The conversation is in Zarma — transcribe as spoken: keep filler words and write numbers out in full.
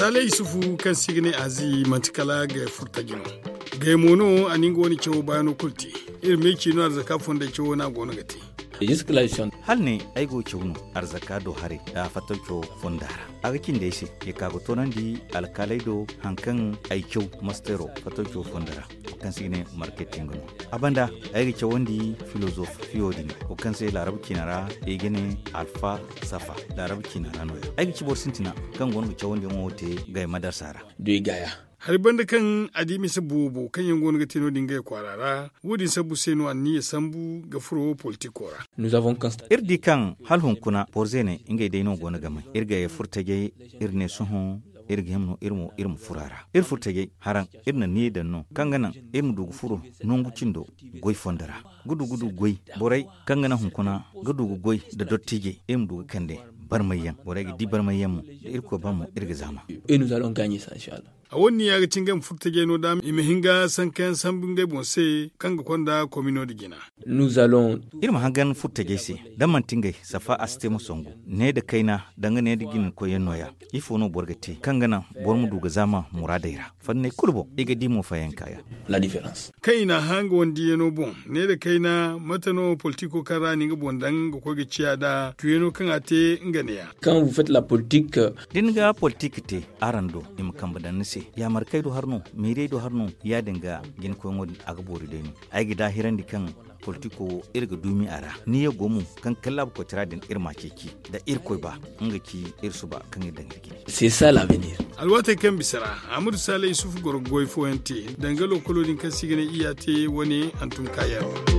Hala isufu kaŋ se i ga ne azi manti kala gay furtaji no. Gay mo no a na nga wane cawo baano kulu te. Iri ma ay ci no arzaka fonday cawo no a go no ga te. Hala ne ay go caw no arzaka do haray da fattaw cawo fonda ra. A ga cindi ay se ya ka ga toonandi alkaaley do hari kaŋ ay caw mastero fattaw cawo fonda ra, wo kaŋ se i ga ne marketing no. A banda ay ga cawandi filozof fiyo din, wo kaŋ se laarabu ciina ra i ga ne alfa safa. Laarabu ciina ra no ya ay ga ci boro sintina kaŋ go no ga cawandiyaŋo te gay madarsa ra. Hari banda kaŋ a di mise boobo kaŋ yaŋ go no ga te no- din gay kwaara ra. Wo- din sabbu se no anniya sambu ga furo politiko ra. Iri di kaŋ hala hunkuna borze ne ngey day no go no ga may iri ga ye furtajey. Iri ne sohõ iri ga hima no iri ma furo a ra. Iri furtajey haraŋ iri na niya daŋ no kaŋ ga naŋ iri ma du ga furo nangu cindo goy fondo ra, ga du ga du goy borey kaŋ ga naŋ hunkuna ga du ga goy nda dottijey iri ma du ga kande barmayyaŋ. Borey ga di barmayyaŋ mo da irkoy ba mo iri ga zaama. A wo- din ya ga ti ngey ma furtajey no da i ma hin ga sankayaŋ sambu ngey boŋ se kaŋ ga konda komino nda jina. Iri ma hangan furtajey se da manti ngey safa a si te ma songu ne nda kayna danga ne nda jinkoyyaŋ no- ya. Ifo no boro ga te kaŋ ga naŋ boro ma du ga zaama muraadey ra? Fanney kulu boŋ i ga di mo fayanka yaŋ. Kaŋ i n'a hã nga wane diyaŋo boŋ ne nda kayna mate no politiko kaŋ ra a na nga boŋ daŋ ga koy ga ciya nd'a tuyaŋo kaŋ a te nga ne- ya. Da ni ga politik te araŋ do i ma kambe daŋ ni se yaamar kaŋ ay du har no meerey du har no ya- din ga jina koyŋo din a ga boori day no. Ay ga daahirandi kaŋ politiko wo iri ga duumi a ra. Ni ye go mo kaŋ ga kallaabu koytara din iri m'a ceeci da irkoy ba nga ci iri suba kaŋ iri daŋ iri jine. Alwaatey kaŋ bisa ra ahmadu saalay isufu goro ga goy fooyaŋ te danga lookolo din kaŋ se i ga ne iyya te wane hantum kaayaŋ.